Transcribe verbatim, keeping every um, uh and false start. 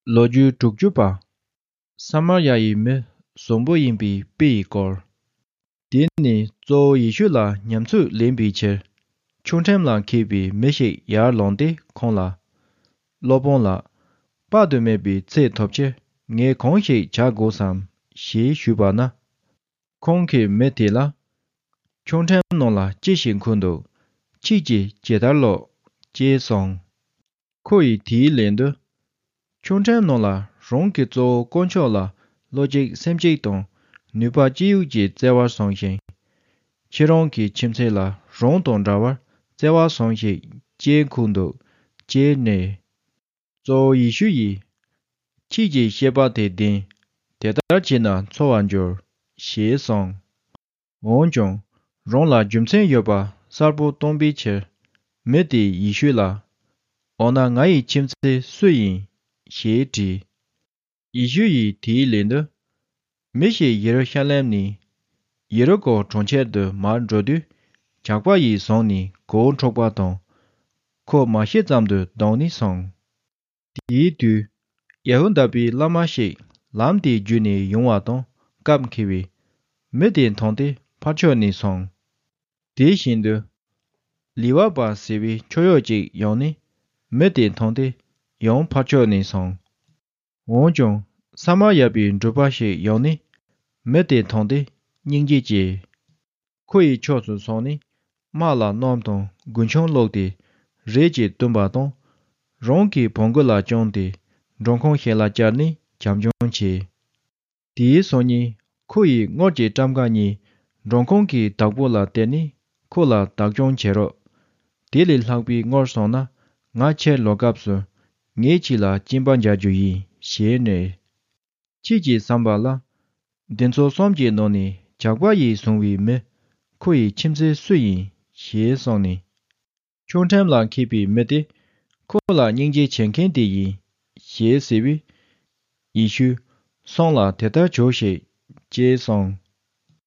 ལོ་རྒྱུས་དྲུག་ཅུ་པ། ས་མར་ཡ་ཡི་མི་བཟང་པོ་ཡིན་པའི་དཔེ་ཡི་སྐོར། དེ་ནས་གཙོ་བོ་ཡེ་ཤུ་ལ་ཉམས་ཚོད་ལེན་པའི་ཕྱིར། ཆུ་ཕྲན་ལ་འཁྱིལ་པའི་མི་ཞིག་ཡར་ལངས་ཏེ་ཁོང་ལ། སློབ་དཔོན་ལགས། དཔག་ཏུ་མེད་པའི་ཚེ་ཐོབ་ཕྱིར་ངས་གང་ཞིག་བྱ་དགོས་སམ་ཞེས་ཞུས་པ་ན། ཁོང་གིས་མི་དེ་ལ། ཆུ་ཕྲན་ནང་ལ་ཅི་ཞིག་འཁོད་འདུག་ཁྱེད་ཀྱིས་ཇི་ལྟར་ཀློག་ཅེས་གསུངས། ཁོ་ཡིས་དེའི་ལན་དུ། ཆུ་ཕྲན་ནང་ལ་རང་གི་གཙོ་བོ་དཀོན་མཆོག་ལ་བློ་གཅིག་སེམས་གཅིག་དང་ནུས་པ་ཅི་ཡོད་ཀྱིས་བརྩེ་བར་བཟུང་ཞིང་། ཁྱེད་རང་གི་ཁྱིམ་མཚེས་ལ་རང་དང་འདྲ་བར་བརྩེ་བར་བཟུང་ཞིག་ཅེས་འཁོད་འདུག་ཅེས་སྨྲས། གཙོ་བོ་ཡེ་ཤུ་ཡིས། ཁྱེད་ཀྱི་བཤད་པ་དེ་བདེན། དེ་ལྟར་བྱས་ན་འཚོ་བར་འགྱུར། ཞེས་གསུངས། འོན་ཀྱང་། རང་ལ་རྒྱུ་མཚན་ཡོད་པ་གསལ་པོ་སྟོན་པའི་ཕྱིར། མི་དེས་ཡེ་ཤུ་ལ། འོ་ན་ང་ཡི་ཁྱིམ་མཚེས་སུ་ཡིན། ཞེས་དྲིས། ཡེ་ཤུ་ཡིས་དེའི་ལན་དུ། མི་ཞིག་ཡེ་རུ་ཤ་ལེམ་ནས། ཡེ་རི་ཀོ་གྲོང་ཁྱེར་དུ་མར་འགྲོ་དུས། ཇག་པ་ཡིས་བཟུང་ནས་མགོ་བོ་འཕྲོག་པ་དང་། ཁོ་མ་ཤི་ཙམ་དུ་བརྡུངས་ནས་སོང་། དེའི་དུས། ཡ་ཧུ་དཱ་པའི་བླ་མ་ཞིག་ལམ་དེའི་བརྒྱུད་ནས་ཡོང་བ་དང་སྐབས་འཁེལ་བས། མི་དེ་མཐོང་སྟེ་ཕར་ཕྱོགས་ནས་སོང་། དེ་བཞིན་དུ། ལི་ཝ་པ་ཟེར་བའི་ཁྱོ་ཡོག་ཅིག་ཡོང་ནས་མི་དེ་མཐོང་སྟེ་ཡང་ཕར་ཕྱོགས་ནས་སོང་། འོན་ཀྱང་ས་མར་ཡ་པའི་འབྲུག་པ་ཞིག་ཡོང་ནས་མི་དེ་མཐོང་སྟེ་སྙིང་རྗེ་སྐྱེས། ཁོ་ཡི་ཕྱོགས་སུ་སོང་ནས་དམག་ལ་སྣུམ་དང་རྒུན་ཆང་བླུགས་ཏེ་རས་ཀྱིས་བཏུམས་པ་དང་། རང་གི་བོང་གུ་ལ་བཅངས་ཏེ་མགྲོན་ཁང་ཞིག་ལ་བཅར་ནས་བྱམས་སྐྱོང་བྱས། དེའི་སང་ཉིན་ཁོ་ཡིས་དངུལ་གྱི་ཊམ་ཀ་གཉིས་མགྲོན་ཁང་གི་བདག་པོ་ལ་སྟེར་ནས་ཁོ་ལ་བདག་སྐྱོང་བྱེད་རོགས། དེ་ལས་ལྷག་པའི་དངུལ་སོང་ན་ང་ཕྱིར་ལོག་སྐབས་སུ་ངས་ཁྱེད་ལ་སྐྱིན་པ་འཇལ་རྒྱུ་ཡིན་ཞེས་སྨྲས། ཁྱེད་ཀྱིས་བསམ་པ་ལ། འདི་ཚོ་གསུམ་གྱི་ནང་ནས་ཇག་པ་ཡིས་བཟུང་བའི་མི་ཁོ་ཡི་ཁྱིམ་མཚེས་སུ་ཡིན་ཞེས་གསུངས་ནས། ཆུ་ཕྲན་ལ་འཁྱིལ་པའི་མི་དེ་ཁོ་ལ་སྙིང་རྗེ་བྱེད་མཁན་དེ་ཡིན་ཞེས་ཟེར་བས། ཡེ་ཤུས་སོང་ལ་དེ་ལྟར་བྱོས་ཤིག་ཅེས་གསུངས།